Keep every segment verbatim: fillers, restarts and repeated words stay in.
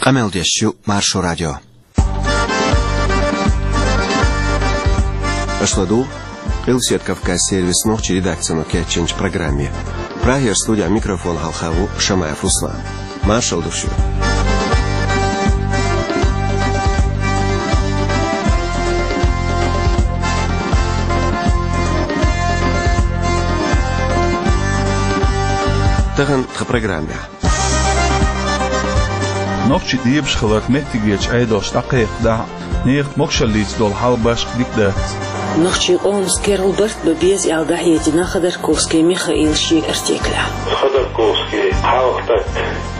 Къамел деш ю Маршо радио. Аша ладугӀу Къилбаседа Кавказан сервисан нохчийн редакцино кечйинчу программе. Прагера студехь микрофон хьалха ву Шамаев Руслан. Маршалла ду шуьга. Тахана тхан программехь. Нохчийн дебаш хиларх меттигерчу Ӏедалша дӀакхайкхадахь а, нехан могушаллица долу хьал башха дика дац. Нохчийн къомаца керла барт бан беза аьлла дӀахьедина Ходорковский Михаила шен артиклехь. Ходорковский хьалха стаг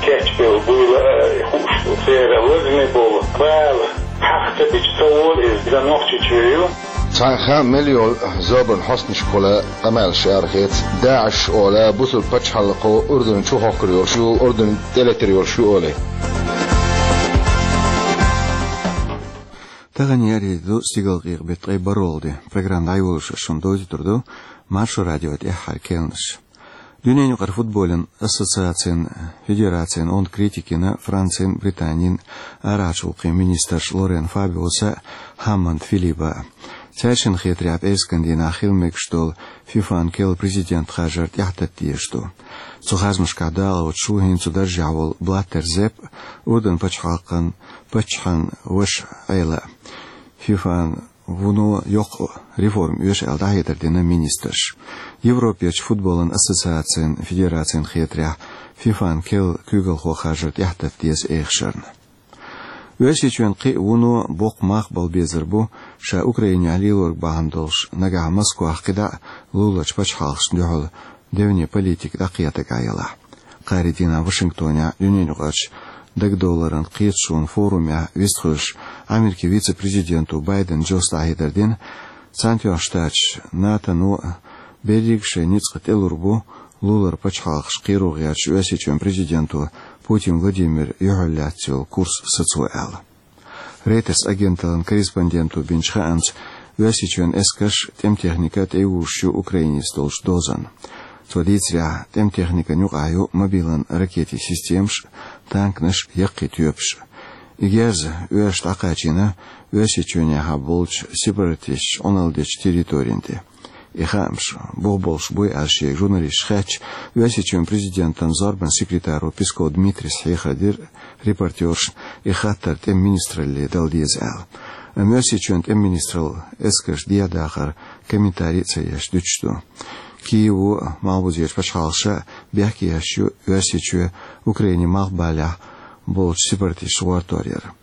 кечбелла буйла а хууш ду. Церан лазаме болу бала хьаха ца бича ца волу иза, иза Нохчийчоь ю. Цхьана хааман мел йолу зорбанан хьостанашкахула къамелаш арахеца, ДАИШ олу, бусулба пачхьалкхо Урдун чу хохкур йолуш ю, Урдун тӀелетар йолуш ю олий. Тахана яра ду стигалкъекъа беттан ткъе бархӀалгӀа де. Программа дӀайолош шуна довзуьйтур ду Маршо радион тӀаьххьара керланаш. Дуьненаюкъара футболан ассоциацин федерацин онда критика йина Францин, Британин арахьарчу гӀуллакхийн министраш Лорен Фабиоса а, Хаммонд Филиппа а. Цаьршинна хетарехь, пӀераскан дийнахь хила мегаш долу ФИФАн керла президент харжар тӀаьхьатата дезаш ду. Цу харжамашкахь дакъалоцуш ву хӀинца цу даржехь волу Блаттер Зепп, Урдун пачхьалкхан паччахьан ваша Ӏела а. ФИФАн вуно йоккха реформа оьшу аьлла дӀахьедар дина министрша. Европерчу футболан ассоциацин федерацин хетарехь, ФИФАн керла куьйгалхо харжар тӀаьхьатата деза эхашарна. Оьрсийчоьнан кхин а вуно боккха мах бала безар бу, ша Украинехь лелориг бахьана долуш, нагахь Москвахь кхидӀа а луларчу пачхьалкхашна дуьхьал девне политика дӀакхетаргахь ялахь. Кхаарин дийнахь Вашингтонехь Дуьненаюкъарчу дагадовларан кхеташонан форумехь вистхуьлуш, Америкин вице-президенто Байден Джос дӀахьедар дина, Цхьаьнатоьхначу Штаташа, НАТОно берриг а шайн ницкъ тӀелур бу лулара пачхьалкхаш кхеро гӀерташ Оьрсийчоьнан президенто Путин Владимира юьхьарлаьцна йолу курс сацо аьлла. Рейтерс агенталлин корреспонденто бинчу хаамца, Оьрсийчоьнан эскарш а, тӀеман техника а тӀейогӀуш ю Украинца долчу дозанна. Цо дийцарехь, тӀеман техникан юкъахь ю мобилан ракетийн системаш а, танкаш а, яккхий тоьпаш а. И герз оьрсаша дӀакхачийна Оьрсийчоьнехь болчу сепаратисташа Ӏуналла дечу территорина тӀе. И хаамаш бух болуш буй аьлла шега журналисташа хаьттича, Оьрсийчоьнан президентан зорбанан секретаро Песков Дмитрийс хьехар дира репортёршна, и хаттар тӀеман министралле дала деза аьлла. Амма Оьрсийчоьнан тӀеман министралла эскарш дехьадахар комментари а ца еш дуьтуш ду. Киево а, малхбузерчу пачхьалкхаша а бехке еш ю Оьрсийчоь Украинин малхбалехь болчу сепаратисташца гӀортор яр.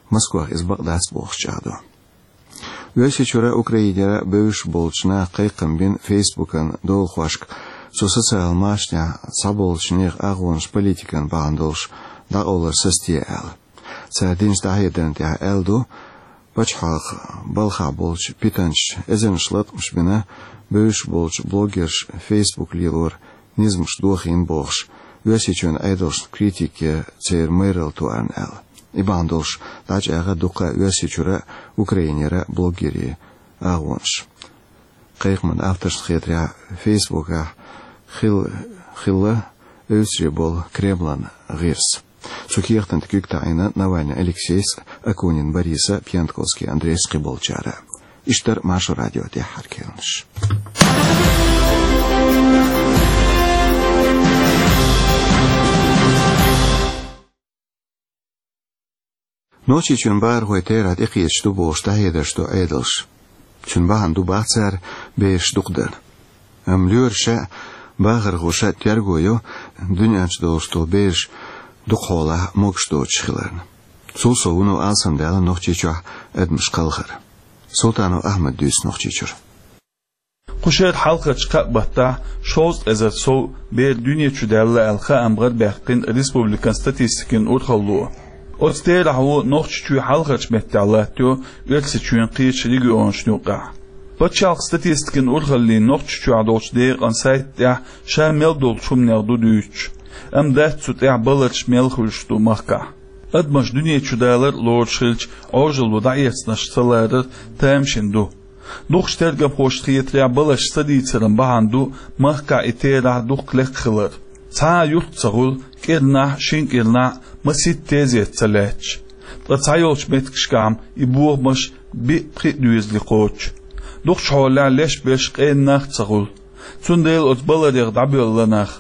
Москвах иза бакъ дац бохуш чӀагӀдо. Оьрсийчуьра а, Украинера а бевзаш болчу наха кхайкхам бина Фейсбукан долахошка, цу социал машанехь цхьаболчу нехан агӀонаш политикан бахьана долуш дӀакъовлар сацаде аьлла. Цара динчу дӀахьедарна тӀехь аьлла ду, пачхьалкхан балхахь болчу питанчаша эзарнаш латкъамаш бина бевзаш болчу блогерша Фейсбук лелоран низамаш дохийна бохуш, Оьрсийчоьнан Ӏедалшна критика ян церан майралла тоьарна аьлла. И бахьана долуш дӀачӀагӀо дуккха а Оьрсийчуьра а, Украинера а блогерийн агӀонаш. Кхайкхаман авторшна хетарехь, Фейсбукехь хилла, хилла эвсаре болу Кремлан гӀирс. Цу кехатан тӀе куьг таӀийна Навальный Алексейс, Акунин Бориса, Пьянковский Андрейс кхиболчара. Иштта яра Маршо радион тӀаьххьара керланаш. Нохчийчоьнан бахархой терахь тӀекхеташ ду бохуш дӀахьедарш до Ӏедалша. Цуьнан бахьана ду бах цара бераш дукха дар. Амма лоьраша а, бахархоша а терго йо дуьнен чу долуш долу бераш дукха хьолахь могуш доцуш хиларна. Цул сов вуно алсамдаьлла Нохчийчохь адамаш кхалхар. Султанов Ахьмада дуьйцу Нохчийчуьра. Кху шеран хьалхарчу кхаа баттахь шовзткъа эзар сов бер дуьне чу даьлла аьлла хаам гӀарабаьккхина республикан статистикан урхалло. Оцу терахьо Нохчийчоь хьалхарчу меттехь латтайо Оьрсийчоьнан кхечу регионашна юкъахь. Пачхьалкхан статистикан урхаллин Нохчийчохь долчу декъан сайта тӀехь ша мел долчу хӀуманех ду дуьйцуш, амма дац цу тӀехь баларш мел хуьлуш ду махкахь. Адамаш дуьне чу далар а лоруш хилча, Ӏожалло дӀаэцнарш ца ларар тамашийна ду. Дукхачу тергамхошна хетарехь, баларш ца дийцаран бахьана ду махкахь и терахь дукха лекха хилар. Цхьа а юрт ца хуьлу кӀирнахь, шина кӀирнахь масийтта тезет ца лаьтташ. Ткъа цхьайолчу меттигашкахь-м и бохамаш биъ-пхиъ доьзале кхочуш. Дукхачу хьолехь леш берш къена нах а ца хуьлу. Цундела оцу баларех дӀабоьлла нах,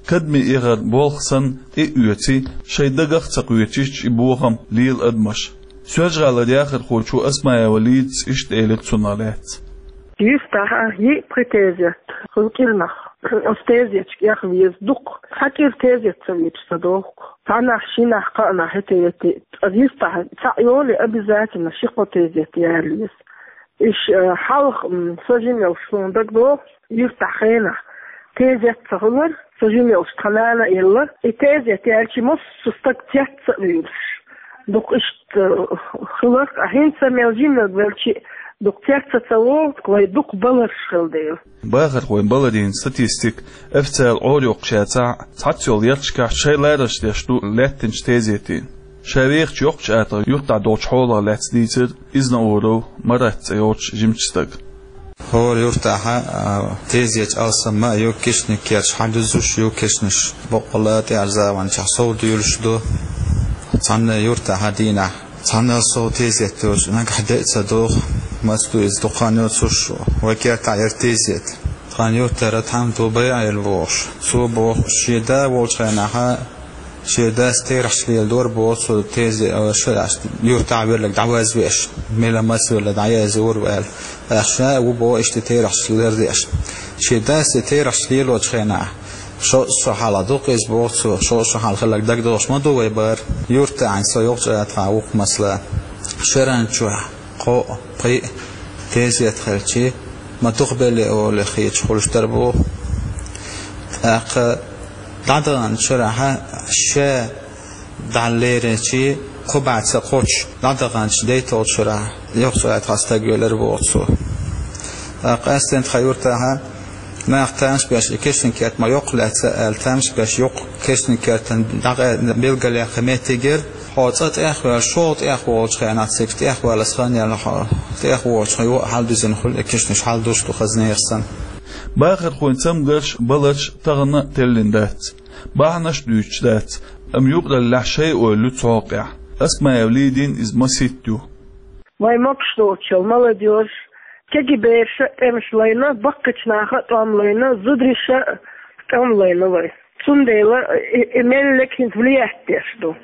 кадаме эхаран болх санна, тӀе а оьций, шайн дагах а ца кхоьчуьйтуш и бохам лела адамаш. Соьлжа-ГӀалара яхархочо Осмаева Лидас иштта элира цунах лаьцна. Юьртахь йиъ-пхи тезет хуьлу кӀирнахь. Оцу тезеташка эха веза дукха. Цхьа кӀира тезет ца везаш ца догӀу. Цхьаннахь, шиннахь, кхааннахь хӀетте-вете. Ткъа юьртахь цхьаъ йолий, обязательно ши-кхо тезет яла еза. Иштта, э, хьалха, м, сан жимчохь суна дагадогӀу, юьртахь хенахь тезет ца хуьлура, сан жимчохь тхан нана а елла. И тезет яьлча, массо а стаг цец а вуьйлуш. Дукха иштта, э, хиларх, а хӀинца мел жимчохь велча, дукха цец а ца вогӀу, вайн дукха баларш хилла дела. Бахархойн баларийн статистика официалан Ӏорайоккхуш яцахь а, цхьацца йолу ярташкахь шайн ларарш деш ду лаьттинчу тезетийн. Ша вехачу йоккхачу АтагӀа юьртахь долчу хьолах лаьцна дийцира Изнауров Марат цӀе йолчу жимачу стага. ХӀора юьртахь, а, тезеташ алсам а ю, кешнийн керташ хьалдузуш ю, кешнаш баккъалла а тӀаьхьарчу заманчохь сов дуьйлуш ду. Цхьана юьртахь дийнахь цхьаннал сов тезет йоцуш, нагахь де а ца догӀу, маца ду иза, дукха хан йоцуш, вайн кертахь яра тезет. Тхан юьртара тхьамда ву БайгӀайла бохуш. Цо боху, шен да волчу хенахь, шен дас терахьчу леладора боху цо, тезет, а, ша, юьртахь велларг дӀавазвеш, мила маца велла дӀаязйора аьлла. ТӀаккха ша ву боху иштта терахьчу лардеш. Шен дас и терахьчу лелочу хенахь, шо а шо хьалха дукха иза боху цо, шо а шо хьалха хилларг дагадогӀуш ма ду вайн бара. Юьртахь со йоккхачу АтагӀахь ву-кх, масала, шеран чохь кхоъ, пхиъ тезет хилча, ма дукха белла олий хеташ хуьлуш дара боху. ТӀаккха дӀадаханчу шарахь ша дӀалеринчий, кхо бӀе ца кхоччуш дӀадаханчу дейтолчу шарахь йоккхачу АтагӀахь стаг велира боху цо. ТӀаккха къаьсттина тхан юьртахь нах тамаш беш, и кешнийн керт ма йоккха лаьцна аьлла, тамаш беш, йоккха кешнийн кертан дӀакъаьда билгалъяккха меттиг яра. Хьо цкъа тӀехваьлла, шолгӀа тӀехволучу хенахь, цига тӀехваллалц хан яьлла хьо, тӀехволучу хьо юха а хьалдуьзина хуьлу и кешнаш, хьалдуш ду хаза нехан санна. Бахархойн цамгарш, баларш тахана теллина дац. Бахьанаш а дуьйцуш дац, амма юкъараллехь шайн ойла ю цу хьокъехь. Осмаева Лидин иза масийтта ю. Вайн могуш доцуш йолу молодёжь, кегий бераша а тӀемаш лайна, баккхийчу наха а тӀом лайна, зудариша а тӀом лайна вай. Цундела и, и меллиг хӀинца влиять деш ду.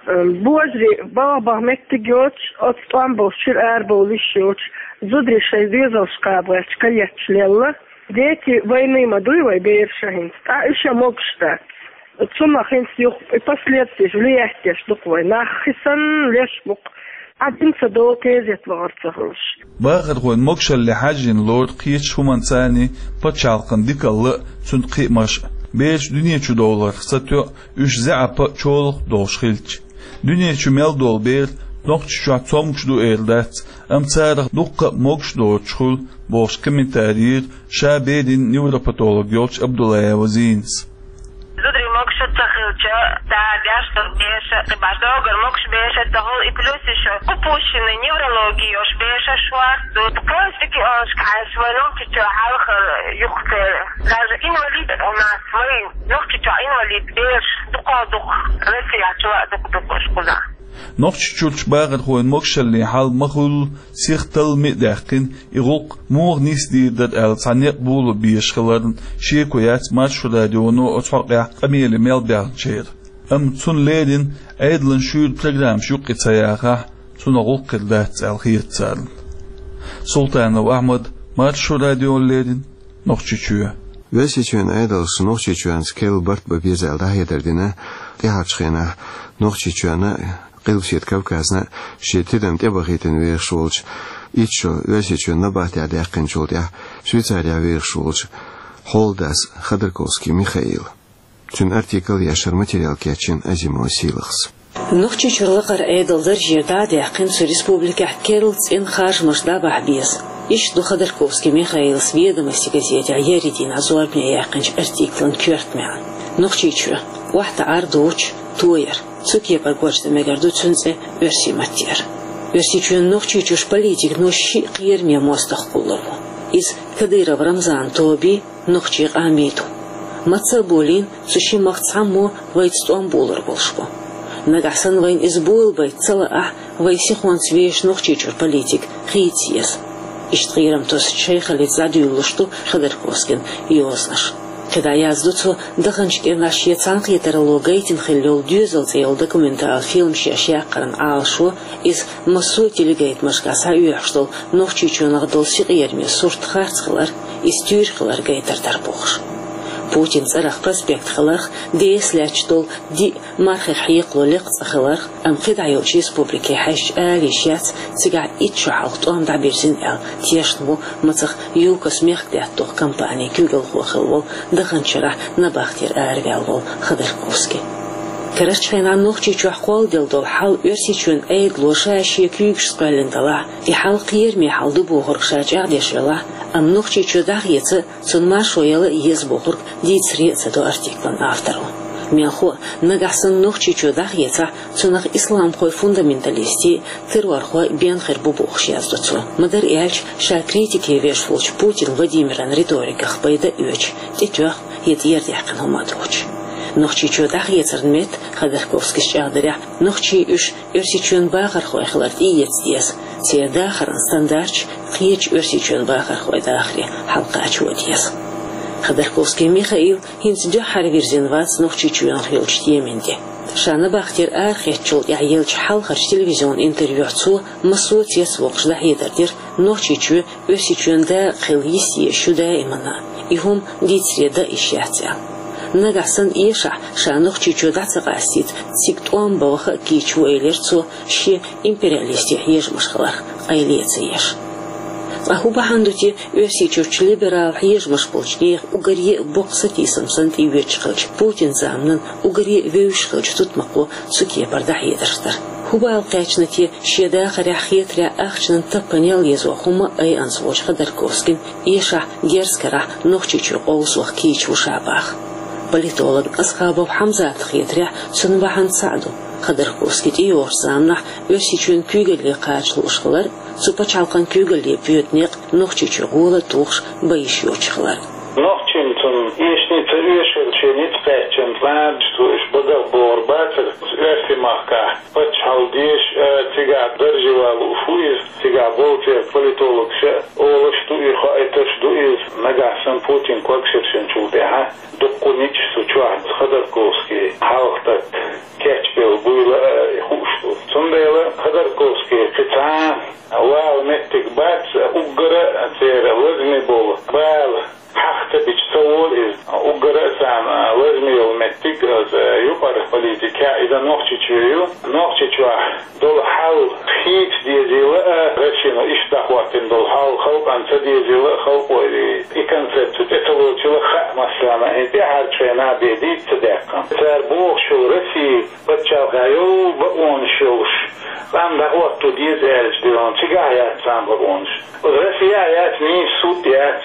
Э, божарий балха баха меттиг йоцуш, оцу тӀом болчуьра арабовла йиш йоцуш, зударий шайн доьзалш кхаба гӀерташ каетташ лелла. Дети вайна ма дуй вай бераша хӀинца, ткъа уьш а могуш дац. Цунах хӀинца юха и последствиеш влиять деш ду-кх вай. Нах хи санна леш бу-кх. Ӏадин ца долу тезет вахар ца хуьлуш. Бахархойн могушалле хьаьжжина лору кхечу хӀуманца а, пачхьалкхан дикалла а, цуьнан кхиамаш а. Бераш дуьне чу довларх сатоьу, уьш заьӀап а, чолах а долуш хилча. Дуьне чу мел долу бер Нохчийчохь цомгуш ду эр дац, амма царах дуккха а могуш доцуш хуьлу, бохуш комментари йира ша берийн невропатолог йолчу Абдуллаева Зинас. Зударий могуш ца хилча, да, деш долу бераш, кхин баш догар могуш бераш ца хуьлу, и плюс ещё кху пущина неврология йолуш бераш шорта ду. Просто киошка хьаьжча вай Нохчийчохь хьалха юхатера. Даже инвалид у нас вай Нохчийчохь инвалид бераш дукха-дукха, Россияхь чу а дукха-дукха уьш кхузахь. Нохчийчуьрчу бахархойн могушаллин хьал ма хуьллу, сиха таллам а даьккхина, и гӀуллакх муха нисдийр дара аьлла цхьа некъ боло безаш хиларна, шеко яц Маршо радионо оцу хьокъехь къамеле мел баьхначеран. Амма цунна леррина Ӏедалан шуьйра программаш юккъе ца яхахь, цунах гӀуллакх хир дац аьлла хета царна. Султанов Ахьмад, Маршо радиона леррина, Нохчийчоь. Оьрсийчоьнан Ӏедалша Нохчийчоьнца керла барт бан беза аьлла дӀахьедар дина тӀаьхьарчу хенахь Нохчийчоьнна а, Къилбаседа Кавказна а шен тидам тӀебахийтина вехаш волчу, итт шо Оьрсийчоьнан набатехь даьккхинчул тӀаьхьа Швейцарехь вехаш волчу хьолдас Ходорковский Михаила. Цуьнан артикл яшара материал кечйина Азимова Сийлахьас. Нохчийчуьра лакхара Ӏедалан даржера дӀа а даьккхина цу республикехь керла цӀена харжамаш дӀабахьа беза. Иштта ду Ходорковский Михаилас «Ведомости» газетехь еарин дийнахь зорбане яьккхинчу артиклан коьрта маьӀна. Нохчийчуьра охьатаӀар, дуча тояр. Цу кепара гочдан мегар ду цуьнан цӀе оьрсийн маттера. Оьрсийчоьнан нохчийчуьрчу политикан шиъ кхераме мостагӀ кхуллур ву. Иза Кадыров Рамзанан тобий, нохчийн къамий ду. Маца а болийна, цу шин махка цхьаммо вайца тӀом болар болуш бу. Нагахь санна вайна иза болабайта ца лаахь, вай сихонца вешан Нохчийчуьра политика хийца еза. Иштта кхерам тосучу шайхаллица дӀадуьйлалуш ду Ходорковскийн йозанаш. КхидӀа яздо цо, даханчу кӀирнахь шен цхьаьнакхетаралло гайтина хилла йолу «Доьзал» цӀе йолу документал фильм шен шекхаран Ӏалашо, иза массо а телегайтамашкахь схьаоьхуш долу Нохчийчоьнах долу синкъераме сурт харц хилар, иза туьйра хилар гайтар дара бохуш. Путинан цӀарах проспект хиларх, Д С лаьтташ долу диъ мархих хьекхало лекха цӀа хиларх, амма кхидӀа йолчу республике хьаьжча ала йиш яц, цигахь итт шо хьалха тӀом дӀабирзина аьлла тешна ву мацах ЮКОС мехкдаьтта духу компанин куьйгалхо хилла волу, даханчу шарахь набахтера араваьлла волу Ходорковский. Карарчу хенахь Нохчийчохь кхолладелла долу хьал Оьрсийчоьнан Ӏедало ша шен куьйгашца кхоьллина делахь, и хьал кхераме хьал ду бохург ша чӀагӀдеш велахь, амма Нохчийчоь дӀахеца, цунна маршо яла а еза бохург дийцаре а ца до артиклан авторо. Мелхо а, нагахь санна Нохчийчоь дӀахецахь, цунах исламхойн фундаменталистийн, террорхойн бен хир бу бохуш яздо цо. Ма-дарра аьлча, ша критике веш волчу Путин Владимиран риториках пайда а оьцуш, тӀетоьхна я тӀера даьккхина хӀума а доцуш. Нохчийчоь дӀахецаран метта, Ходорковскийс чӀагӀдарехь, нохчий уьш Оьрсийчоьнан бахархой хилар тӀеэца деза, церан дахаран стандарташ кхечу Оьрсийчоьнан бахархойн дахаре хьалакхачо деза. Ходорковский Михаил хӀинца дуьххьара вирзина вац Нохчийчоьнах йолчу темин тӀе. Ша набахтера арахецначул тӀаьхьа еллачу хьалхарчу телевизионан интервьюхь цо массо а цецвоккхуш дӀахьедар дира Нохчийчоь Оьрсийчоьнан дакъа хила йист езаш ю даимана, и хӀума дийцаре дан йиш яц аьлла. Нагахь санна эшахь, ша Нохчийчоь дӀа ца къастийта, цига тӀом бан ваха а кийча ву, элира цо, шен империалистийн хьежамаш хиларх къайле а ца еш. Ткъа хӀун бахьана ду те Оьрсийчуьрчу либерал хьежамаш болчу нехан уггаре а боккха сатийсам санна тӀеоьцуш хиллачу Путинан заманан уггаре а вевзаш хиллачу тутмакхо цу кепара дӀахьедарш дар? ХӀун бала кхаьчна те шен дахарехь хетарехь ахчанан таппанел езо хӀума айанца волчу Ходорковскийна эшахь, герз карахь Нохчийчоь къовса ваха кийча ву ша баха? Политолог Асхабов Хьамзатна хетарехь, цунна бахьана цхьаъ ду: Ходорковский тӀейогӀучу заманахь Оьрсийчоьнан куьйгалле кхача лууш хилар, цу пачхьалкхан куьйгалле боьду некъ Нохчийчоь гӀола а тухуш бан йиш йоцуш хилар. Нохчийн цунна эшний ца оьшура, шен ницкъ кхаьччина цӀараш цо уьш багах богӀур бацара, оьрсийн махкахь паччахьалла дезаш а, цигахь даржехь валуш ву иза, цигахь болу церан политологаш а олуш ду и, хоуьйтуш ду иза, нагахь санна Путин когашершинчул тӀаьхьа дуккха ницкъ цу чохь Ходорковский хьалха тата кечбелла буйла а хууш ду. Цундела Ходорковский кхин цхьа вала меттиг бац, уггара а церан лазаме болу бала хьаха ца бича ца волу иза. Уггара а царна лазаме йолу меттиг, иза юкъара политика, иза Нохчийчоь ю. Нохчийчохь долу хьал хийца дезийла а, Россино иштта дӀахӀоттийна долу хьал халкъана ца дезийла а, халкъо и концепци тӀе ца лоцийла а хаьа массарна, и тӀаьхьарчу хенахь бен дийца ца даьккхина. Цара бохуш йолу Россия пачхьалкхехь йолу бакъонаш йолуш, цӀанна дӀахӀотто деза аьлча дерриг, цигахь яц царна бакъонаш. Оцу Россияхь яц нийса суд, яц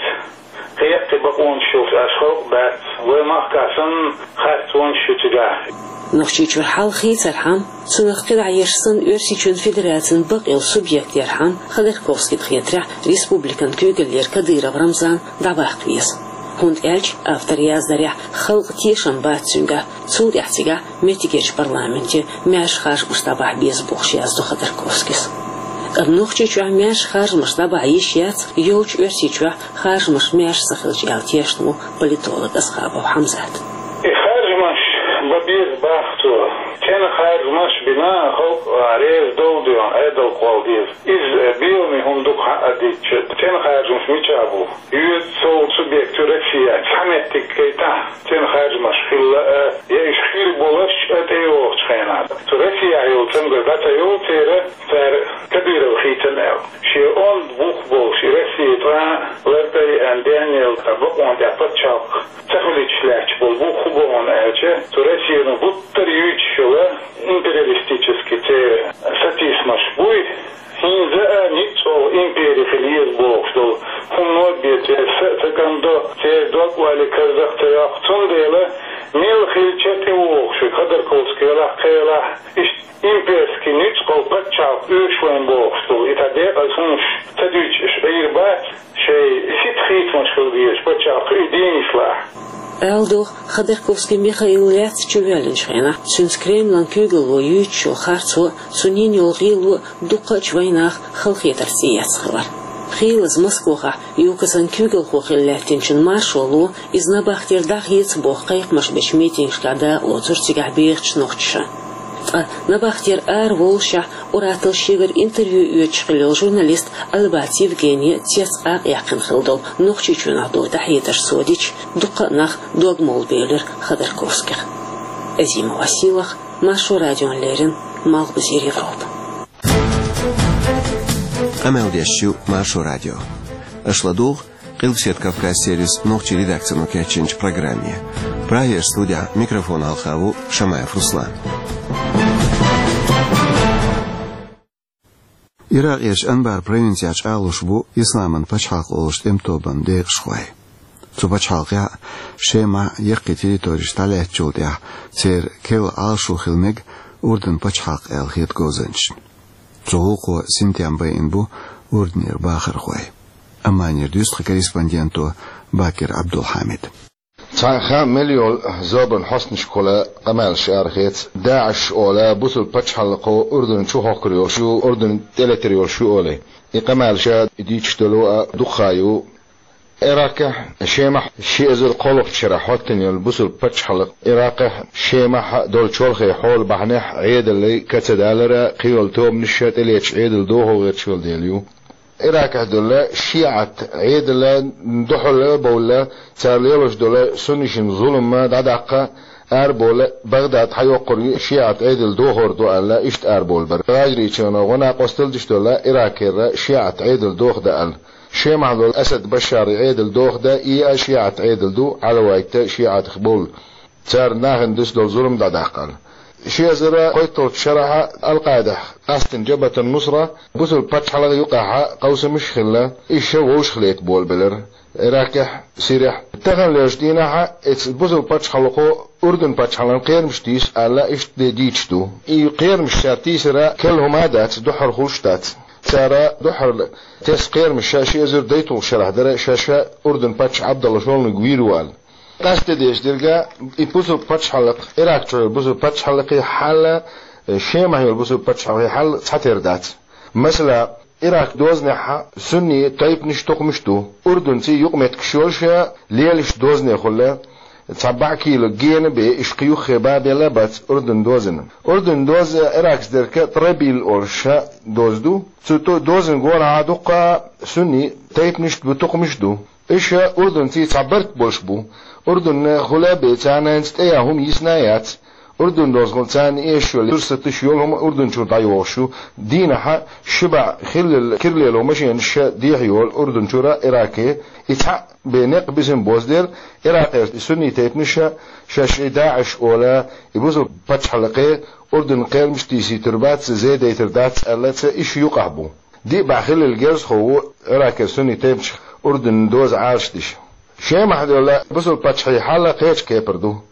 кхин яккхий бакъонаш йолуш, аша халкъ дац, вай махкахь санна харцонаш ю цигахь. Нохчийчуьра хьал хийцархьама, цунах кхидӀа еш санна Оьрсийчоьнан Федерацин бакъйолу субъект ярхьама, Ходорковскийна хетарехь, республикан куьйгаллера Кадыров Рамзан дӀабаккха веза. ХӀунда аьлча, автор яздарехь, халкъан тешам бац цуьнгахь, цул тӀаьхьа цигахь меттигерчу парламенте маьрша харжамаш дӀабахьа беза бохуш яздо Ходорковскийс. Амма Нохчийчохь маьрша харжамаш дӀабахьа йиш яц, йолчу Оьрсийчохь харжамаш маьрша ца хилча аьлла тешна ву политолог Асхабов Хьамзат. И харжамаш бан беза боху цо. Цхьана харжамаш бина, халкъ реза долу дела, Ӏедал кхолла деза. Иза беламе хӀума ду-кх, хьаа дитча, цхьана харжамаш мичахь бу? Йоьду цо субъект ю Россия, цхьа меттиг гайтахь, цхьана харжамаш хилла а, я уьш хир болуш а тӀейогӀучу хенахь. Цу Россияхь йолу цамгар дӀа ца йолу церан, цара Кадыров хийцина аьлла. Шен онда бух болуш и Россия цкъа лартӀе а деана, денъяла бакъонан тӀехь пачхьалкх ца хилийтуш лаьтташ болу бух хӀун бу аьлча, цу Россино гуттар а юьйцуш йолу империалистический церан сатийсамаш буй, хӀинца а ницкъ йолу импери хила еза бохуш долу хӀумано бен церан са а ца кӀамдо, церан дог-ойла карзах ца йоккху. Цундела мел хилча а тӀевогӀуш верг, Ходорковский велахь, кхин велахь, иштта имперский ницкъ йолу пачхьалкх оьшу вайна бохуш долу и цхьа декъаза хӀуманаш ца дуьйцуш Ӏийр бац, шайн сица хийцамаш хила дезаш пачхьалкх и дийна йиш лаахь. Аьле догӀу, Ходорковский Михаил лаьцна чувоьллинчу хенахь, цуьнца Кремлан куьйгалло юьйцучу харцо, цуьнан йолу гӀело дуккхачу вайнаха халахетарца эцна хилар. Хийлаза Москвахь Юкасан куьйгалхо хилла лаьттинчун маршо ло, иза набахтера дӀахеца боху кхайкхамаш бечу митингашкахь дакъалоцура цигахь бехачу нохчаша. Ткъа набахтера араволлушехь, уьттазза шегара интервью оьцуш хилла йолу журналист Албац Евгения цец а къаьккхина хилла долу Нохчийчоьнах долу дӀахьедарш сов дича, дуккха а нах дог молабевлира Ходорковских. Азима Василах, Маршо радиона леррина, Малхбузера Европа. Къамел деш ю Маршо радио. Аша ладугӀу Къилбаседа Кавказ сервисан нохчийн редакцино кечйинчу программе. Прагера студехь микрофон хьалха ву Шамаев Руслан. Иракъерчу Анбар провинцехь чӀагӀлуш бу Исламан пачхьалкх олучу тӀеман тобанан декъашхой. Цу пачхьалкхехь Шемахь яккхий территореш дӀалаьцначул тӀаьхьа церан керла Ӏалашо хила мега Урдан пачхьалкх аьлла хета говзанчашна. Цу гӀуллакхо синтем байина бу Урданера бахархой. Амманера дуьйцу тхан корреспонденто Бакир Абдулхьамида. Цхьа хан мел йолу зорбанан хьостанашкахула къамелаш арахеца, ДАИШ олу бусалба пачхьалкхо Урдан чу хӀоттор йолуш ю, Урдан тӀелетар йолуш ю олий. И къамелаш дийцаш долу а дукха хан ю. Иракехь, Шемахь ши эзар кхоалгӀачу шарахь хӀоттийна йолу бусалба пачхьалкх Иракехь, Шемахь долу чолхе хьола бахьанехь Ӏедаллий ка ца далар а, кхин йолу тобанаш а тӀелеташ Ӏедал дохо гӀерташ йолу дела ю. Иракехь долу шиӀат Ӏедална дуьхьал бовла, цара лелош долу суннашна зулам дӀадаккха арабовла, Багдад схьайоккхур ю шиӀат Ӏедал дохор ду аьлла, иштта арабовла бара. ГӀажарийчоьно гӀо-накъосталла деш долу Иракера шиӀат Ӏедал дохадан аьлла. Шемахь долу Асад Башаран Ӏедал дохадан, и а шиӀат Ӏедал ду, Ӏалавитта шиӀатех бовла. Цара нахана дуьсуш долу зулам дӀадаккха аьлла. Ши эзар кхойтталгӀачу шарахь Ал-Къаидехь къастийна Джабхат ан-Нусра бусалба пачхьалкхан юкъахь къовсамаш а хилла, иштта вовшахлетта болабелира Иракехь, Сирехь. Тахана лелачу дийнахь оцу бусалба пачхьалкхо Урдан пачхьалкхан кхерамаш тийсу аьлла, иштта де дийцаш ду. И кхерамаш цара тийсар керла хӀума а дац, дуьххьара хуьлуш а дац. Цара дуьххьара тесна кхерамаш ши эзар дейтталгӀачу шарахь дара, шаьш Урдан паччахь Ӏабдалла шолгӀаниг вийр ву аьлла. Къаьстина дезаш дерг, и бусалба пачхьалкх, Ирак чохь йолу бусалба пачхьалкхийн хьал, Шемахь йолу бусалба пачхьалкхийн хьал цхьатера дац. Масала, Ирак дозанехь сунни тайпанаш, тукхамаш ду. Урданций юкъаметтигаш йолуш, лелаш дозанехула, цхьа бӀе кило гена бен, иштта кхин юххе бан белла бац Урдан дозанна. Урдан доза Иракца дерг Тобрик олуш доза ду. Цу то-, дозанна гонахь дуккха сунни тайпанаш а ду, тукхамаш а ду. Уьш урданцийн цхьа барт болуш бу. Урданна хула а бен, царна хӀинца тӀеян хӀума йисна а яц. Урдан дозахула царна эшаш йолу сурсаташ, йолу хӀума Урдан чуьра дӀайогӀуш ю. Дийнахь ши бӀе хиллал кира лело машенаш дехьа йолу Урдан чуьра Ираке. И цхьаъ бен некъ бисина бозделла, Иракера сунни тайпанаш шаьш и ДАИШ олу, и бусалба пачхьалкхе Урдан кхерамаш тийсийтур бац, зен дайтур дац аьлла, цхьа иштта юкъахь бу. Диъ бӀе хиллал герзахо ву Иракера сунни тайпанаш Урдан доза Ӏалашдеш. Шемахь долу бусалба паччахьийн хьал кхечу кепара ду.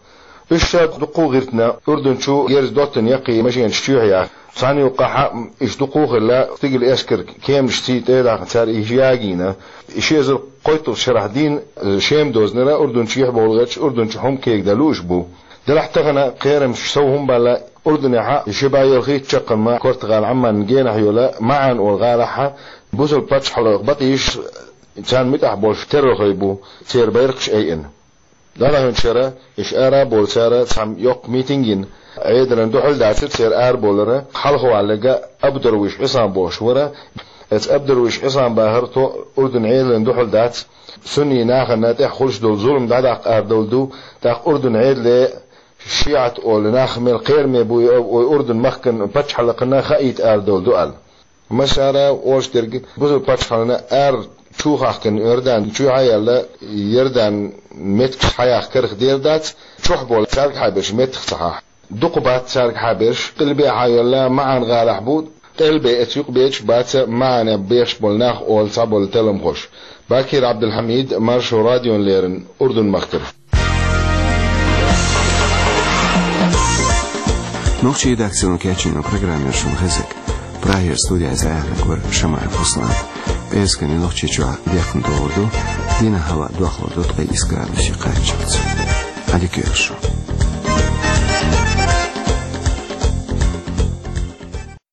Уьш ша дуккха а гӀиртина, Урдан чу герз доттина яккхий машенаш чоьхьа яха. Цхьана юккъахь иштта дуккха а хилла, стигала эскаран кеманаш цӀий тӀе а дахна, цара и ягийна. Ши эзар кхойтталгӀачу шарахь дийна Шема дозанара Урдан чу юьхь бовла гӀерташ, Урдан чу хӀума кегадан лууш бу. Делахь тахана кхерамаш сов хӀума баьлла, Урданехь ши бӀе йолхийтта чаккхарма Португал Ӏамманна генахь йолу МаӀан олу гӀалахь бусалба паччахьалкхан бакъийш, царна муьтӀахь болуш террорхой бу, церан байракхаш айина. ДӀадаханчу шарахь уьш ара а бовлу, цара цхьа йоккха митинг йина, Ӏедална дуьхьал а дацара церан арабовлар. Хьалхаваьлларг Абдурвиш Ӏисам бохуш вара. Оцу Абдурвиш Ӏисаман бахара, тхо Урдан Ӏедална дуьхьал дац, сунни нахана тӀехь хуьлуш долу зулам дӀадаккха арадовла ду, тӀаккха Урдан Ӏедале шиӀат олу нах мел кхераме бу, и Урдан махкан пачхьалкхана хаийта арадовла ду аьлла. Массара а олуш дерг, бусалба пачхьалкхана ара чу хахкина Иордан чоьхьа а яьлла, Иордан меттигаш схьаяха карах дер дац, чохь болу цаьргахьа берш меттах ца хьахь. Дукха бац цаьргахьа берш, къилбехьа йолла МаӀан гӀалахь бу, къелбе эца юкъа бечу баца МаӀане бехаш болу нах олу цхьаболу талламхоша. Бакир Абдулхьамид, Маршо радиона леррина, Урдан махкара. Нохчийн редакцино кечйина программа яра шуна хезиг. Прагера студехь иза аьхна гур Шамаев Руслан. Эскан Нохчийчохь дехна догӀур ду. Дийнахьа аваъ дохлур ду ткъе ийс градусе кхаччалца. Ӏадика йойла шун.